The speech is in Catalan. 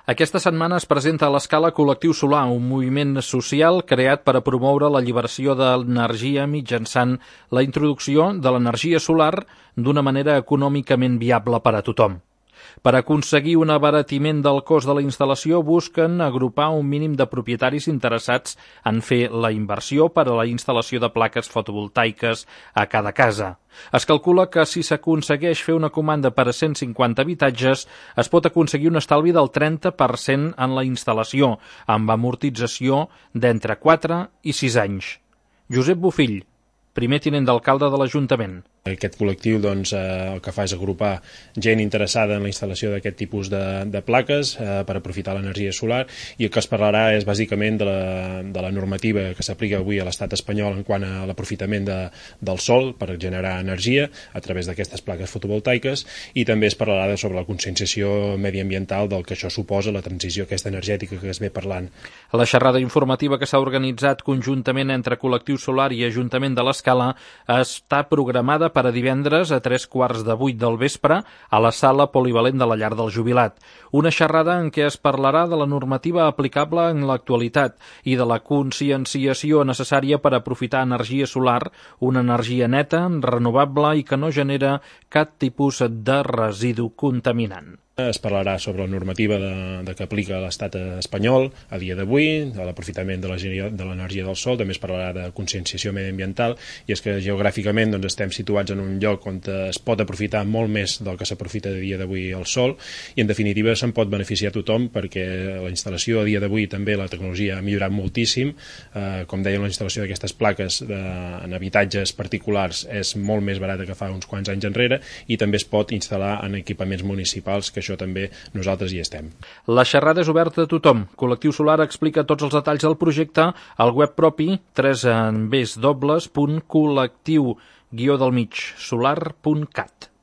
Aquesta setmana es presenta a l'Escala Col·lectiu Solar, un moviment social creat per a promoure l'alliberació d'energia mitjançant la introducció de l'energia solar d'una manera econòmicament viable per a tothom. Per aconseguir un abaratiment del cost de la instal·lació, busquen agrupar un mínim de propietaris interessats en fer la inversió per a la instal·lació de plaques fotovoltaiques a cada casa. Es calcula que si s'aconsegueix fer una comanda per a 150 habitatges, es pot aconseguir un estalvi del 30% en la instal·lació, amb amortització d'entre 4 i 6 anys. Josep Bofill, primer tinent d'alcalde de l'Ajuntament. Aquest col·lectiu el que fa és agrupar gent interessada en la instal·lació d'aquest tipus de plaques per aprofitar l'energia solar, i el que es parlarà és bàsicament de la normativa que s'aplica avui a l'estat espanyol en quant a l'aprofitament del sol per generar energia a través d'aquestes plaques fotovoltaiques, i també es parlarà sobre la conscienciació mediambiental del que això suposa, la transició aquesta energètica que es ve parlant. La xerrada informativa que s'ha organitzat conjuntament entre Col·lectiu Solar i Ajuntament de l'Escala està programada per a divendres a 7:45 del vespre a la sala polivalent de la Llar del Jubilat. Una xerrada en què es parlarà de la normativa aplicable en l'actualitat i de la conscienciació necessària per aprofitar energia solar, una energia neta, renovable i que no genera cap tipus de residu contaminant. Es parlarà sobre la normativa que aplica l'estat espanyol a dia d'avui, de l'aprofitament de l'energia del sol. També es parlarà de conscienciació mediambiental, i és que geogràficament estem situats en un lloc on es pot aprofitar molt més del que s'aprofita a dia d'avui el sol, i en definitiva se'n pot beneficiar tothom, perquè la instal·lació a dia d'avui també la tecnologia ha millorat moltíssim. Com deien, la instal·lació d'aquestes plaques en habitatges particulars és molt més barata que fa uns quants anys enrere, i també es pot instal·lar en equipaments municipals, que això també nosaltres hi estem. La xerrada és oberta a tothom. Col·lectiu Solar explica tots els detalls del projecte al web propi www.collectiu-solar.cat.